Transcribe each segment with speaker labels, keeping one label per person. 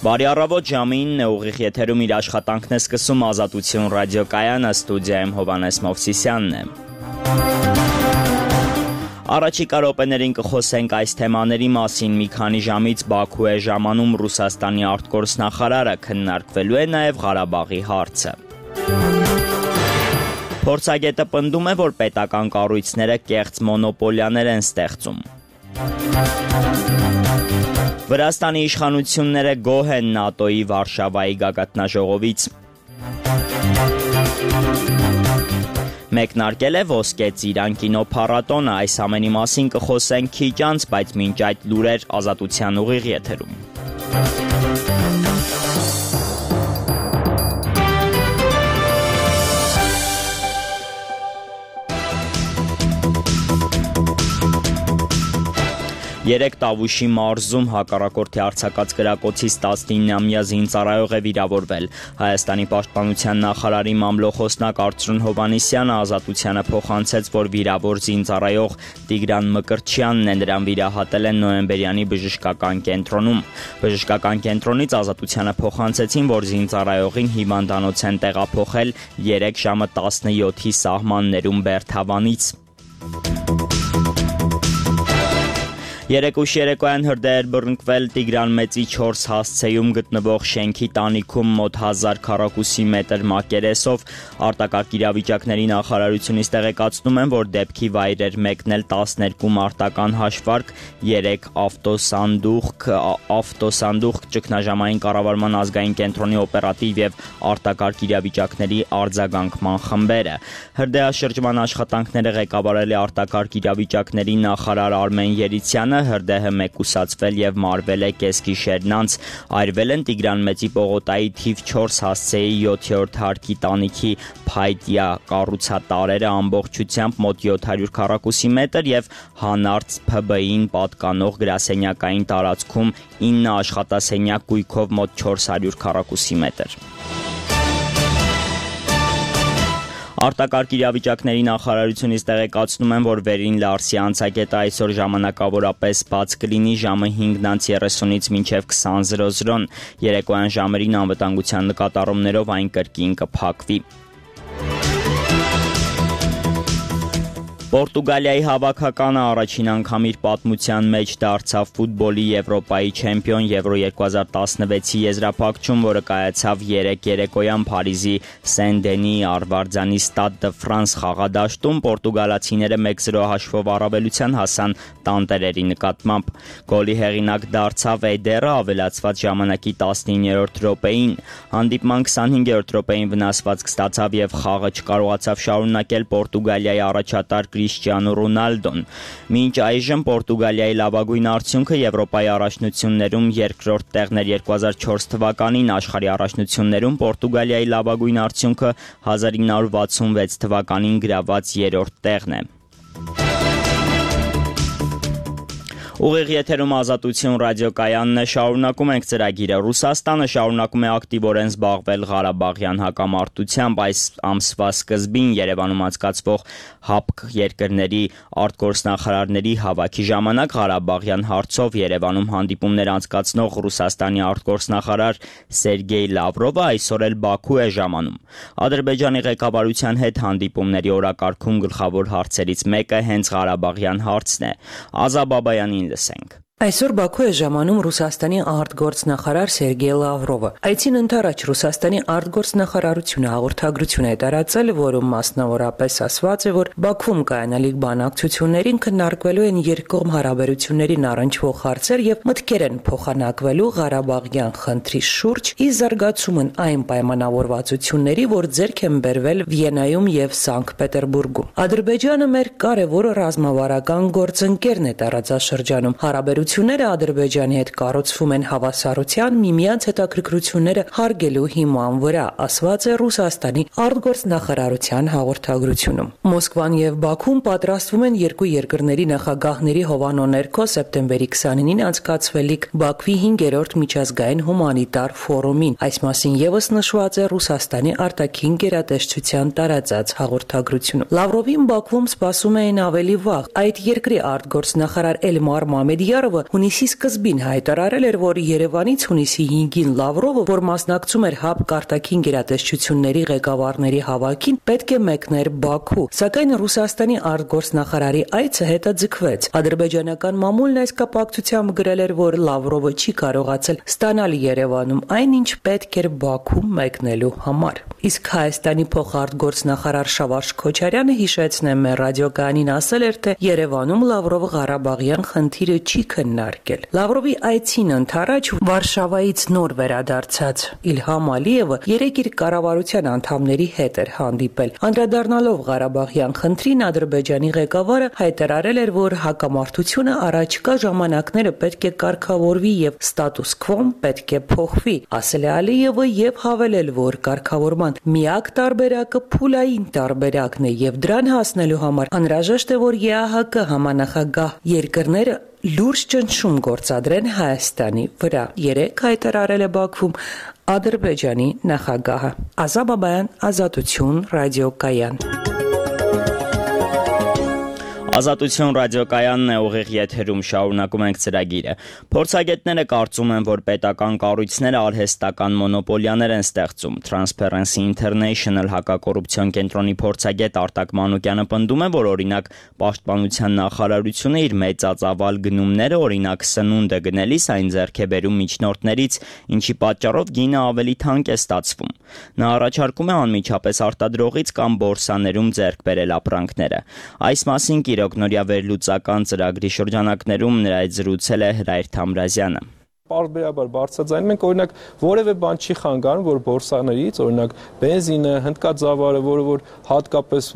Speaker 1: Բարի առավոտ, ժամը 9 է, ուղիղ եթերում իր աշխատանքն է սկսում Ազատություն ռադիոկայանը, ստուդիայում Հովհաննես Մովսիսյանն է։ Առաջիկա րոպեներին կխոսենք այս թեմաների մասին։ Մի քանի ժամից Բաքու է ժամանում Ռուսաստանի արտգործնախարարը, քննարկվելու է նաև Ղարաբաղի հարցը։ Փորձագետը պնդում է, որ պետական կառույցները կեղծ մոնոպոլիաներ են ստեղծում։ Վրաստանի իշխանությունները գոհ են ՆԱՏՕ-ի Վարշավայի գագաթնաժողովից։ Մեկնարկել է Ոսկե ծիրան կինոփառատոնը, այս ամենի մասին կխոսենք քիչ անց, բայց մինչ այդ լուրեր Ազատության ուղիղ եթերում։ Երեկ Տավուշի մարզում հակառակորդի արձակած կրակոցից 19-ամյա զինծառայող է վիրավորվել։ Հայաստանի պաշտպանության նախարարի մամլոխոսնակ Արծրուն Հովհաննիսյանը Ազատությանը փոխանցեց, որ վիրավոր զինծառայող Տիգրան Մկրտչյանն է, նրան վիրահատել են Նոյեմբերյանի բժշկական կենտրոնում։ Բժշկական կենտրոնից Ազատությանը փոխանցեցին, որ զինծառայողին հիվանդանոց են տեղափոխել 3 ժամը 17-ի սահմաններում Բերթավանից։ Երեկույթ երեկոյան հրդեհ բռնկվել Տիգրան Մեծի 4 հասցեում գտնվող շենքի տանիքում մոտ 1000 քառակուսի մետր մակերեսով։ Արտակարգ իրավիճակների նախարարությունից տեղեկացնում են, որ դեպքի վայր էր մեկնել 12 մարտական հաշվարկ, 3 ավտոսանդուղք, ճգնաժամային կառավարման ազգային կենտրոնի օպերատիվ եւ արտակարգ իրավիճակների արձագանքման խմբերը։ Հրդեհաշրջման աշխատանքները ղեկավարել է արտակարգ իրավիճակների նախարար Արմեն Երիցյանը։ Հրդեհը մեկուսացվել եւ մարվել է կեսգիշերն անց։ Այրվել են Տիգրան Մեծի պողոտայի թիվ 4 հասցեի 7-րդ հարկի տանիքի փայտյա կառուցատարերը, ամբողջությամբ մոտ 700 քառակուսի մետր եւ հանարց ՓԲ-ին պատկանող գրասենյակային տարածքում 9 աշխատասենյակ գույքով մոտ 400 քառակուսի մետր։ Արտակարգ իրավիճակների նախարարությունից տեղեկացնում են, որ Վերին Լարսի անցակետը այսօր ժամանակավորապես բաց կլինի ժամը 5:30-ից մինչև 20:00-ն։ Երեկոյան ժամերին անվտանգության նկատառումներով այն կրկին կփակվի։ Պորտուգալիայի հավաքականը առաջին անգամ իր պատմության մեջ դարձավ ֆուտբոլի Եվրոպայի չեմպիոն Եվրո 2016-ի եզրափակում, որը կայացավ 3 երեկոյան Փարիզի Սեն-Դենի Արվարձանի Ստադ դը Ֆրանս խաղադաշտում։ Պորտուգալացիները 1-0 հաշվով առավելության հասան տանտերերի նկատմամբ։ Գոլի հեղինակ դարձավ Էդերը ավելացված ժամանակի 19-րդ րոպեին։ Հանդիպման 25-րդ րոպեին վնասվածք ստացավ եւ խաղը չկարողացավ շարունակել Պորտուգալիայի առաջատար Քրիշտիանո Ռոնալդոն։ Մինչ այժմ Պորտուգալիայի լավագույն արդյունքը Եվրոպայի առաջնություններում երկրորդ տեղն էր 2004 թվականին, աշխարհի առաջնություններում Պորտուգալիայի լավագույն արդյունքը 1966 թվականին գրաված 3-րդ տեղն է։ Ուղիղ եթերում Ազատություն ռադիոկայանն է, շարունակում ենք ծրագիրը։ Ռուսաստանը շարունակում է ակտիվորեն զբաղվել Ղարաբաղյան հակամարտությամբ։ Այս ամսվա սկզբին Երևանում անցկացվող ՀԱՊԿ երկրների արտգործնախարարների հավաքի ժամանակ Ղարաբաղյան հարցով Երևանում հանդիպումներ անցկացնող Ռուսաստանի արտգործնախարար Սերգեյ Լավրովը այսօր էլ Բաքու է ժամանում։ Ադրբեջանի ղեկավարության հետ հանդիպումների օրակարգում գլխավոր հարցերից մեկը հենց Ղարաբաղյան հարցն է։ Ազա Բաբայանին լսենք։
Speaker 2: Այսօր Բաքու է ժամանում Ռուսաստանի արտգործնախարար Սերգեյ Լավրովը։ Այցին ընդառաջ Ռուսաստանի արտգործնախարարությունը հաղորդագրություն է տարածել, որում մասնավորապես ասված է, որ Բաքվում կայանալիք բանակցություններին քննարկվելու են երկկողմ հարաբերություններին առնչվող հարցեր եւ մտքեր են փոխանակվելու Ղարաբաղյան խնդրի շուրջ, ի զարգացումն այն պայմանավորվածությունների, որ ձեռք են բերվել Վիեննայում եւ Սանկտ Պետերբուրգում։ Ադրբեջանը մեր կարևոր ռազմավարական գործընկերն է տարածաշրջանում։ Հարաբերությունները Ադրբեջանի հետ կառուցվում են հավասարության, միմյանց հետաքրքրությունները հարգելու հիման վրա, ասված է Ռուսաստանի արտգործնախարարության հաղորդագրությունում։ Մոսկվան եւ Բաքուն պատրաստվում են երկու երկրների նախագահների հովանու ներքո սեպտեմբերի 29-ին անցկացվելիք Բաքվի 5-րդ միջազգային հումանիտար ֆորումին։ Այս մասին եւս նշված է Ռուսաստանի արտաքին գերատեսչության տարածած հաղորդագրությունում։ Լավրովին Բաքվում սպասում էին ավելի վաղ։ Այդ երկրի արտգործնախարար Էլմար Մամեդյարովը Լավրովը հունիսի սկզբին հայտարարել էր, որ Երևանից հունիսի 5-ին Լավրովը, որ մասնակցում էր ՀԱՊԿ արտաքին գերատեսչությունների ղեկավարների հավաքին, պետք է մեկներ Բաքու, սակայն Ռուսաստանի արտգործնախարարի այցը հետաձգվեց։ Ադրբեջանական մամուլն այս կապակցությամբ գրել էր, որ Լավրովը չի կարողացել ստանալ Երևանում այն, ինչ պետք էր Բաքու մեկնելու համար։ Իսկ Հայաստանի փոխարտգործնախարար Շավարժ Քոչարյանը հիշեցնեմ մեր ռադիոկայանին ասել էր, թե Երևանում Լավրովը Ղարաբաղյան խնդիրը չի քննարկել։ Լավրովի այցին ընդառաջ Վարշավայից նոր վերադարձած Իլհամ Ալիևը երեկ իր կառավարության անդամների հետ էր հանդիպել։ Անդրադառնալով Ղարաբաղյան խնդրին, Ադրբեջանի ղեկավարը հայտարարել էր, որ հակամարտությունը առաջիկա ժամանակները պետք է կարգավորվի եւ ստատուս քվոն պետք է փոխվի, ասել է Ալիևը եւ հավելել, որ կարգավորման միակ տարբերակը փուլային տարբերակն է եւ դրան հասնելու համար անհրաժեշտ է, որ ԵԱՀԿ համանախագահ երկրները լուրջ ճնշում գործադրեն Հայաստանի վրա։ Երեկ հայտարարել է Բաքվում Ադրբեջանի նախագահը։ Ազատ Բաբայան, Ազատություն, ռադիոկայան։
Speaker 1: Ազատություն ռադիոկայանն է, ուղիղ եթերում շարունակում ենք ծրագիրը։ Փորձագետները կարծում են, որ պետական կառույցները արհեստական մոնոպոլիաներ են ստեղծում։ Transparency International հակակոռուպցիոն կենտրոնի փորձագետ Արտակ Մանուկյանը պնդում է, որ օրինակ Պաշտպանության նախարարությունը իր մեծածավալ գնումները, օրինակ սնունդը գնելիս այն ձեռք է բերում միջնորդներից, ինչի պատճառով գինը ավելի թանկ է ստացվում։ Նա առաջարկում է անմիջապես արտադրողից կամ բորսաներում ձեռք բերել ապրանքները։ Այս մասին Նորյա վերլուծական ծրագրի շրջանակներում նրա հետ զրուցել է Հրայր Թամրազյանը։
Speaker 3: Պարբերաբար բարձրաձայնում ենք, օրինակ որևէ բան չի խանգարում, որ բորսաներից, օրինակ բենզինը, հնդկաձավարը, որ հատկապես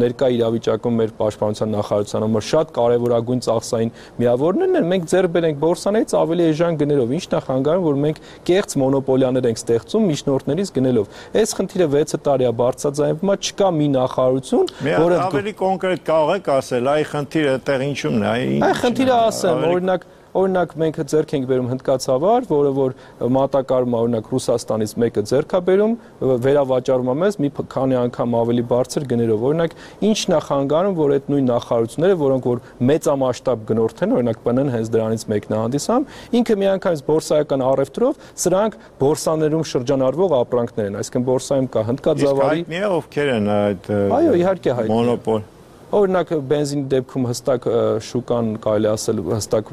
Speaker 3: ներկա իրավիճակում մեր պաշտպանության նախարարության համար շատ կարևորագույն ծախսային միավորներն են, մենք ձեռք բերենք բորսաներից ավելի էժան գներով, ինչն է խանգարում, որ մենք կեղծ մոնոպոլիաներ ենք ստեղծում միջնորդներից գնելով։ Այս խնդիրը 6 տարի է բարձրաձայնվում, չկա մի նախարարություն, որը
Speaker 4: ավելի կոնկրետ կարող եք ասել, այ խնդիրը տեղ ինչումն է,
Speaker 3: այ խնդիրը ասեմ, օրինակ մենք ձեռք ենք բերում հնդկացավար, որը որ մատակարարում է օրինակ Ռուսաստանից մեկը ձեռք է բերում, վերավաճառում է մեզ մի քանի անգամ ավելի բարձր գներով։ Օրինակ ինչն է խանգարում, որ այդ նույն նախարարությունները, որոնք որ մեծամասշտաբ գնորդ են, օրինակ ՊՆ-ն հենց դրանից մեկն է հանդիսանում, ինքը միանգամից բորսայական առևտրով սրանք բորսաներում շրջանառվող ապրանքներ են, այսինքն բորսայում կա հնդկաձավարի։
Speaker 4: Իսկ հայտնի է ովքեր են այդ
Speaker 3: այո, իհարկե հայտնի է։
Speaker 4: Մոնոպոլ։
Speaker 3: Օրինակ բենզինի դեպքում հստակ շուկան կարելի ասել հստակ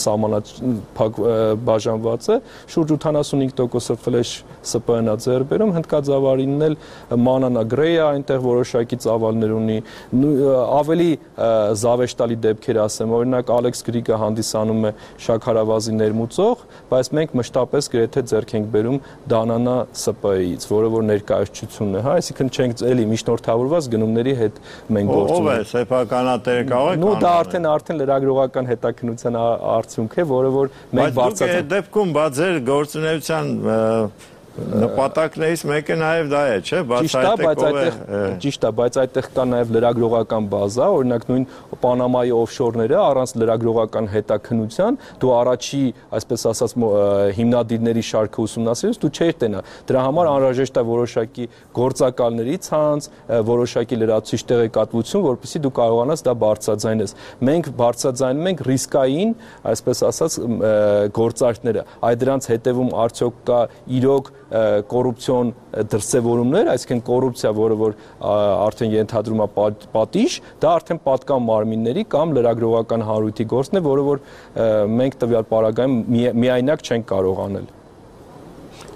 Speaker 3: սահմանափակ բաժանված է, շուրջ 85% ֆլեշ ՍՊԸ-ն է ձեռք բերում, հնդկաձավարինն էլ մանանա գրեյ է, այնտեղ որոշակի ծավալներ ունի, ավելի զավեշտալի դեպքեր ասեմ, օրինակ Ալեքս Գրիգը հանդիսանում է շաքարավազի ներմուծող, բայց մենք մշտապես գրեթե ձեռք ենք բերում Դանանա ՍՊԸ-ից, որը որ ներկայացությունն է, հա, այսինքն չենք էլի միջնորդավորված գնումների հետ մենք գործում
Speaker 4: Ով է սեփականատերը կարող եք
Speaker 3: նո դա արդեն լրագրողական հետաքննության արդյունք է, որը որ մենք
Speaker 4: բարձրացնում։ Բայց դուք այդ դեպքում բա ձեր գործունեության նպատակներից մեկը նաև դա է, չէ՞,
Speaker 3: Ճիշտ է, բայց այդտեղ կա նաև լրագրողական բազա, օրինակ նույն Պանամայի օֆշորները առանց լրագրողական հետաքննության դու առաջի, այսպես ասած, հիմնադիրների շարքը ուսումնասիրես, դու չէր տենա։ Դրա համար անհրաժեշտ է որոշակի գործակալների ցանց, որոշակի լրացուցիչ տեղեկատվություն, որպեսզի դու կարողանաս դա բարձրաձայնես։ Մենք բարձրաձայնում ենք ռիսկային, այսպես ասած, գործարքները։ Այդ դրանց հետևում արդյոք կա իրոք կոռուպցիոն դրսևորումներ, այսինքն կոռուպցիա, որը որ արդեն ենթադրում է պատիժ, դա արդեն պատկան մարմինների կամ լրագրողական հանրույթի գործն է, որը որ մենք տվյալ պարագայում միայնակ չենք կարող անել։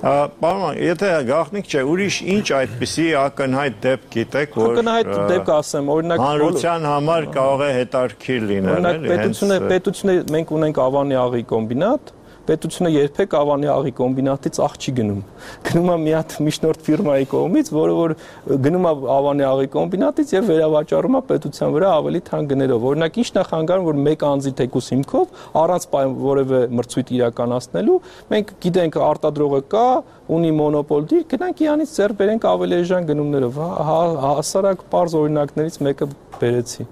Speaker 4: Պարոն, եթե գաղտնիք չէ, ուրիշ ինչ այդպիսի ակնհայտ դեպք գիտեք, որ
Speaker 3: ակնհայտ դեպք ասեմ, օրինակ
Speaker 4: հանրության համար կարող է հետաքրքիր լինել,
Speaker 3: օրինակ պետությունը մենք ունենք Ավանի աղի կոմբինատ, պետությունը երբեք Ավանի աղի կոմբինատից աղ չի գնում։ Գնում է մի հատ միջնորդ ֆիրմայի կողմից, որը որ գնում է Ավանի աղի կոմբինատից եւ վերավաճառում է պետության վրա ավելի թանկ գներով։ Օրինակ ինչն է խանգարում, որ մեկ անձի թեկուս հիմքով առանց որևէ մրցույթ իրականացնելու, մենք գիտենք արտադրողը կա, ունի մոնոպոլ դիր, գնանք իրանից ձեռք բերենք ավելի էժան գնումներով։ Հասարակ պարզ օրինակներից մեկը բերեցի։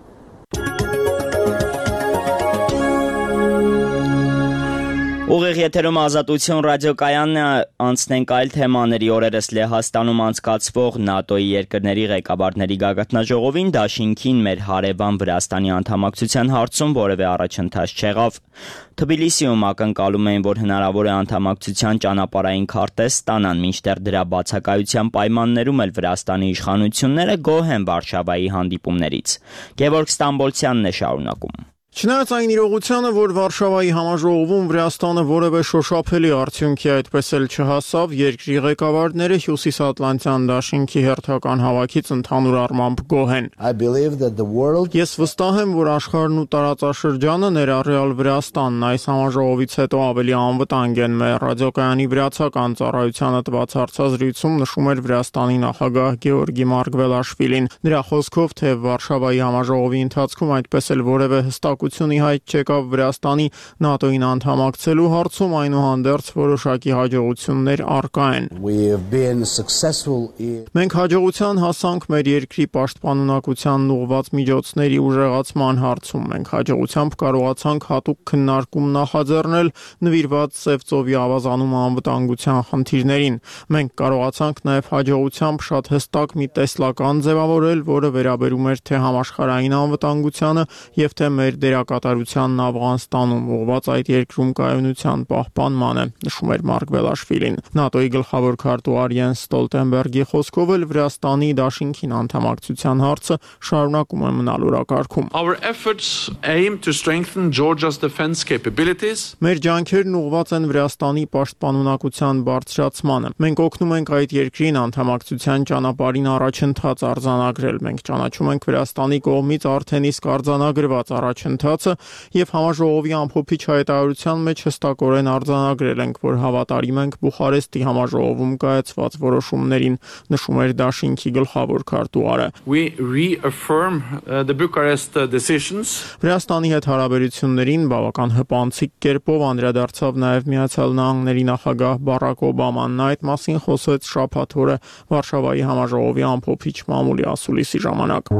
Speaker 1: Ուղիղ եթերում Ազատություն ռադիոկայանն է, անցնենք այլ թեմաների։ Օրերս Լեհաստանում անցկացվող ՆԱՏՕ-ի երկրների ղեկավարների գագաթնաժողովին դաշինքին մեր հարևան Վրաստանի անդամակցության հարցում որևէ առաջընթաց չեղավ։ Թբիլիսիում ակնկալում էին, որ հնարավոր է անդամակցության ճանապարհային քարտեզ ստանան, մինչդեռ դրա բացակայության պայմաններում էլ Վրաստանի իշխանությունները գոհ են Վարշավայի հանդիպումներից։ Գևորգ Ստամբոլցյանն է շարունակում։
Speaker 5: Չնայած այն իրողությանը, որ Վարշավայի համաժողովում Վրաստանը որևէ շոշափելի արդյունքի այդպես էլ չհասավ, երկրի ղեկավարները Հյուսիսատլանտյան դաշինքի հերթական հավաքից ընդհանուր առմամբ գոհ են։ Ես վստահ եմ, որ աշխարհն ու տարածաշրջանը, ներառյալ Վրաստանն, այս համաժողովից հետո ավելի անվտանգ են։ Մեր ռադիոկայանի վրացական ծառայությանը տված հարցազրույցում նշում էր Վրաստանի նախագահ Գեորգի Մարգվելաշվիլին։ Նրա խոսքով, թե Վարշավայի համաժողովի ընթացքում այդպես էլ որևէ հստակությունի հայտ չեկավ Վրաստանի ՆԱՏՕ-ին անդամակցելու հարցում, այնուհանդերձ որոշակի հաջողություններ առկա են։ Մենք հաջողության հասանք մեր երկրի պաշտպանունակությանն ուղղված միջոցների ուժեղացման հարցում։ Մենք հաջողությամբ կարողացանք հատուկ քննարկում նախաձեռնել նվիրված Սևծովի ավազանում անվտանգության խնդիրներին։ Մենք կարողացանք նաև հաջողությամբ շատ հստակ մի տեսլական ձևավորել, որը վերաբերում էր թե համաշխարհային անվտանգությանը եւ թե մեր դերակատարությանն Աֆղանստանում ուղղված այդ երկրում կայունության պահպանմանը, նշում էր Մարգվելաշվիլին։ ՆԱՏՕ-ի գլխավոր քարտուղար Յենս Ստոլտենբերգի խոսքով էլ Վրաստանի դաշինքին անդամակցության հարցը շարունակում է մնալ օրակարգում։ Մեր ջանքերն ուղղված են Վրաստանի պաշտպանունակության բարձրացմանը։ Մենք օգնում ենք այդ երկրին անդամակցության ճանապարհին առաջընթաց արձանագրել։ Մենք ճանաչում ենք Վրաստանի կողմից արդեն իսկ արձանագրված առաջընթացը եւ համաժողովի ամփոփիչ հայտարարության մեջ հստակորեն արձանագրել ենք, որ հավատարիմ ենք Բուխարեստի համաժողովում կայացված որոշումներին, նշում էր դաշինքի գլխավոր քարտուղարը։ Վրաստանի հետ հարաբերություններին բավական հպանցիկ կերպով անդրադարձավ նաեւ Միացյալ Նահանգների նախագահ Բարակ Օբաման։ Նա այդ մասին խոսեց շաբաթ օրը Վարշավայի համաժողովի ամփոփիչ մամուլի ասուլիսի ժամանակ։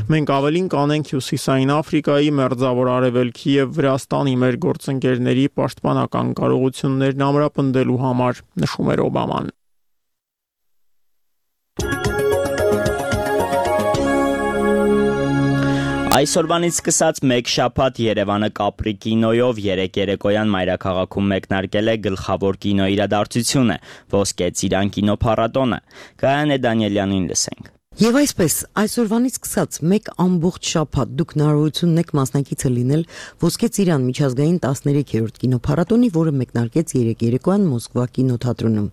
Speaker 5: Մենք ավելին կանենք Հյուսիսային Աֆրիկայի, Մերձավոր Արևելքի եւ Վրաստանի մեր գործընկերների պաշտպանական կարողություններն ամրապնդելու համար, նշում էր Օբաման։
Speaker 1: Այսօրվանից սկսած մեկ շաբաթ Երևանը Կապրի կինոյով երեկ երեկոյան մայրաքաղաքում մեկնարկել է գլխավոր կինո իրադարձությունը՝ Ոսկե ծիրան կինոփառատոնը։ Գայանե Դանիելյանին լսենք։
Speaker 6: Եվ այսպես, այսօրվանից սկսած մեկ ամբողջ շաբաթ դուք հնարավորություն ունեք մասնակիցը լինել Ոսկե ծիրան միջազգային 13-րդ կինոփառատոնի, որը մեկնարկեց երեկ երեկոյան Մոսկվա կինոթատրոնում։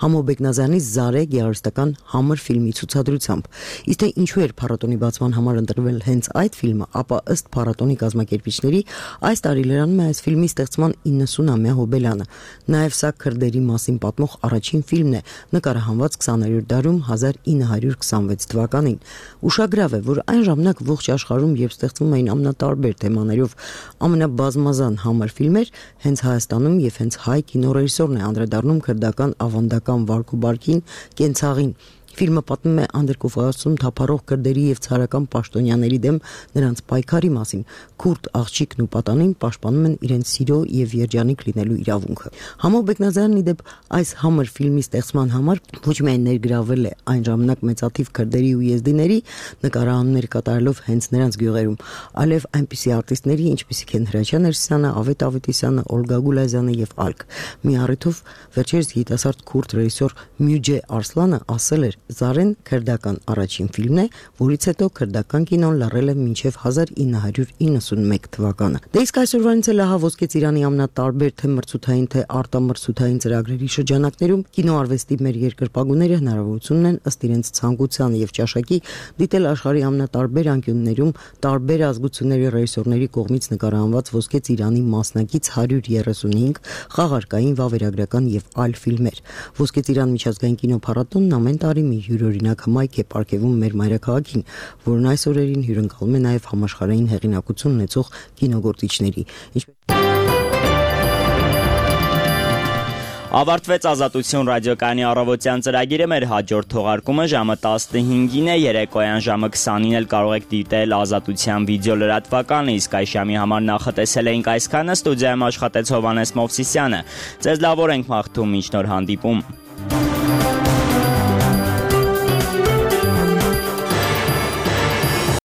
Speaker 6: Համո Բեկնազյանի Զարե գեղարվեստական համր ֆիլմի ցուցադրությամբ։ Իսկ թե ինչու էր փառատոնի բացման համար ընտրվել հենց այդ ֆիլմը, ապա ըստ փառատոնի կազմակերպիչների այս տարի լրանում է այս ֆիլմի ստեղծման 90-ամյա հոբելյանը։ Նաև սա քրդերի մասին պատմող առաջին ֆիլմն է, նկարահանված 20-րդ դարում 1926 թվականին։ Ուշագրավ է, որ այն ժամանակ ողջ աշխարհում երբ ստեղծվում էին ամենատարբեր թեմաներով ամենաբազմազան համր ֆիլմեր, հենց Հայաստանում եւ հենց հայ կինոռեժիսորն է անդրադառնում քրդական ավանդական վարք ու բարքին, կենցաղին։ Ֆիլմը պատմում է Անդրկովկասում թափառող քրդերի եւ ցարական պաշտոնյաների դեմ նրանց պայքարի մասին։ Քուրդ աղջիկն ու պատանին պաշտպանում են իրենց սիրո եւ երջանիկ լինելու իրավունքը։ Համո Բեկնազյանն ի դեպ այս համր ֆիլմի ստեղծման համար ոչ միայն ներգրավել է այն ժամանակ մեծաթիվ քրդերի ու եզդիների նկարահանումներ կատարելով հենց նրանց գյուղերում, այլև այնպիսի արտիստների, ինչպիսիք են Հրաչյա Ներսիսյանը, Ավետ Ավետիսյանը, Օլգա Գուլազյանը եւ այլք։ Մի առիթով վերջերս երիտասարդ քուրդ ռեժիսոր Մյուջե Արսլանը ասել էր. Զարեն քրդական առաջին ֆիլմն է, որից հետո քրդական կինոն լռել է մինչև 1991 թվականը։ Դե իսկ այսօրվանից էլ ահա Ոսկե ծիրանի ամենատարբեր թե մրցութային, թե արտամրցութային ծրագրերի շրջանակներում կինոարվեստի մեր երկրպագուները հնարավորություն ունեն ըստ իրենց ցանկության եւ ճաշակի դիտել աշխարհի ամենատարբեր անկյուններում տարբեր ազգությունների ռեժիսորների կողմից նկարահանված Ոսկե ծիրանի մասնակից 135 խաղարկային, վավերագրական եւ այլ ֆիլմեր։ Ոսկե ծիրան միջազգային կինոփառատոնն ամեն տարի մի յուրօրինակ հմայք է պարգևում մեր մայրաքաղաքին, որն այս օրերին հյուրընկալում է նաև համաշխարհային հեղինակություն ունեցող կինոգործիչների։
Speaker 1: Ավարտվեց Ազատություն ռադիոկայանի առավոտյան ծրագիրը, մեր հաջորդ թողարկումը ժամը 15-ին է, երեկոյան ժամը 20-ին էլ կարող եք դիտել Ազատության վիդեո լրատվականը, իսկ այս ժամի համար նախատեսել էինք այսքանը, ստուդիայում աշխատեց Հովհաննես Մովսիսյանը։ Ձեզ լավ օր ենք մաղթում, մինչ նոր հանդիպում։